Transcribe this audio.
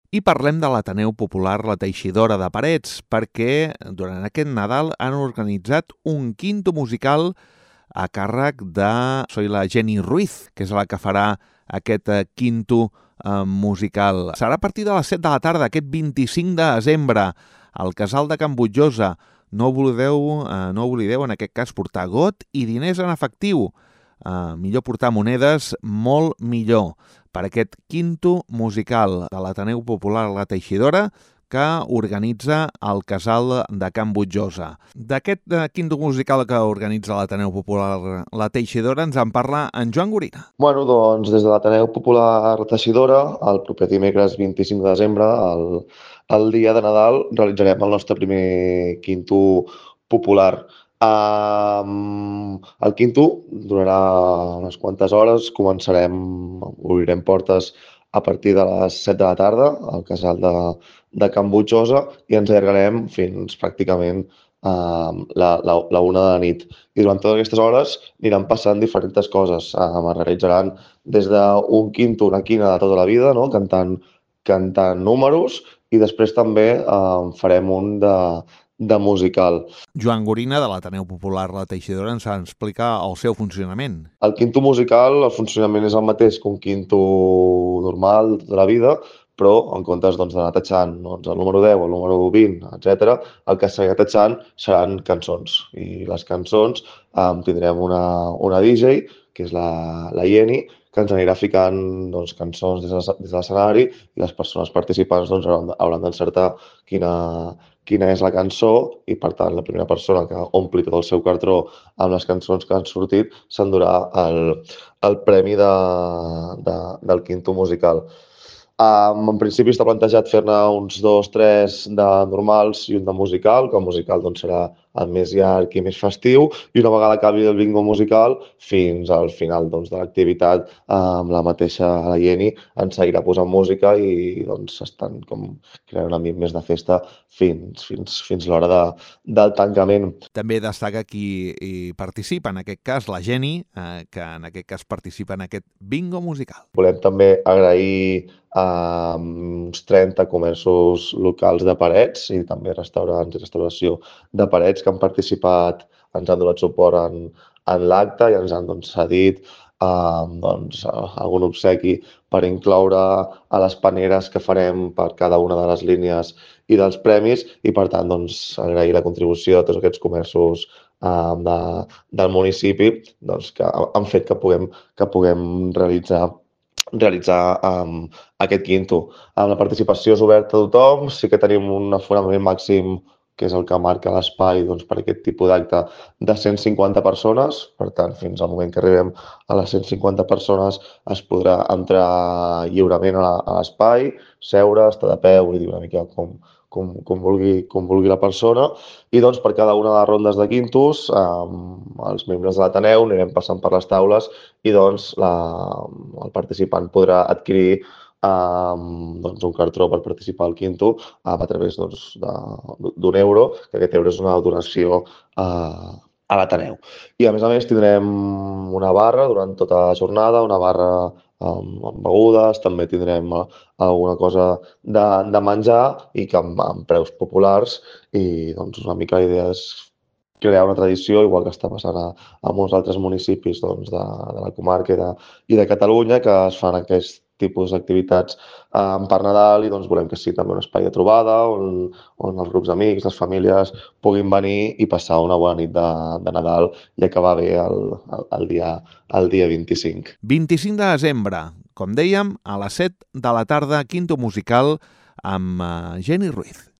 I parlem de l'Ateneu Popular La Teixidora de Parets, perquè durant aquest Nadal han organitzat un quinto musical a càrrec de la Jenny Ruiz, que és la que farà aquest quinto musical. Serà a partir de les 7 de la tarda, aquest 25 de desembre, al Casal de Can Butjosa. No oblideu en aquest cas portar got i diners en efectiu. Millor portar monedes, molt millor, per aquest quinto musical de l'Ateneu Popular La Teixidora que organitza el Casal de Can Butjosa. D'aquest quinto musical que organitza l'Ateneu Popular La Teixidora ens en parla en Joan Gorina. Bueno, doncs des de l'Ateneu Popular Teixidora, el proper dimecres 25 de desembre, el dia de Nadal, realitzarem el nostre primer quinto popular. El quinto durarà unes quantes hores, obrirem portes a partir de les 7 de la tarda al casal de Can Butjosa i ens allargarem fins pràcticament la 1 de la nit. I durant totes aquestes hores aniran passant diferents coses. Es realitzaran des d'un quinto, una quina de tota la vida, no? cantant números, i després també farem un de musical. Joan Gorina, de l'Ateneu Popular La Teixidora, ens explica el seu funcionament. El quinto musical, el funcionament és el mateix que un quinto normal de la vida, però en comptes d'anar tatxant el número 10, el número 20, etc., el que s'anirà tatxant seran cançons. I les cançons tindrem una DJ, que és la Jenny, que ens anirà ficant cançons des de l'escenari i les persones participants hauran d'encertar quina és la cançó i, per tant, la primera persona que ompli tot el seu cartró amb les cançons que han sortit s'endurà el premi del quinto musical. En principi està plantejat fer-ne uns 2, 3 de normals i un de musical, que el musical serà el més llarg i més festiu, i una vegada acabi el bingo musical, fins al final de l'activitat, amb la mateixa la Jenny ens seguirà posant música i estan creant un ambient més de festa fins l'hora del tancament. També destaca qui hi participa, en aquest cas la Jenny, que en aquest cas participa en aquest bingo musical. Volem també agrair uns 30 comerços locals de Parets i també restaurants i restauració de Parets que han participat, ens han donat suport en l'acte i ens han cedit algun obsequi per incloure a les paneres que farem per cada una de les línies i dels premis i, per tant, agrair la contribució de tots aquests comerços del municipi que han fet que puguem realitzar aquest quinto. La participació és oberta a tothom, sí que tenim un aforament màxim, que és el que marca l'espai per aquest tipus d'acte, de 150 persones. Per tant, fins al moment que arribem a les 150 persones es podrà entrar lliurement a l'espai, seure, estar de peu i dir una mica com vulgui la persona. I per cada una de les rondes de quintos, els membres de l'Ateneu anirem passant per les taules i el participant podrà adquirir un cartró per participar al quinto a través d'un euro, que aquest euro és una donació a l'Ateneu. I a més tindrem una barra durant tota la jornada, una barra amb begudes, també tindrem alguna cosa de menjar i que amb preus populars i una mica la idea és crear una tradició, igual que està passant a molts altres municipis de la comarca i de Catalunya, que es fan aquest tipus d'activitats per Nadal i volem que sigui també un espai de trobada on els grups d'amics, les famílies puguin venir i passar una bona nit de Nadal i acabar bé el dia 25. 25 de desembre, com dèiem, a les 7 de la tarda, quinto musical amb Jenny Ruiz.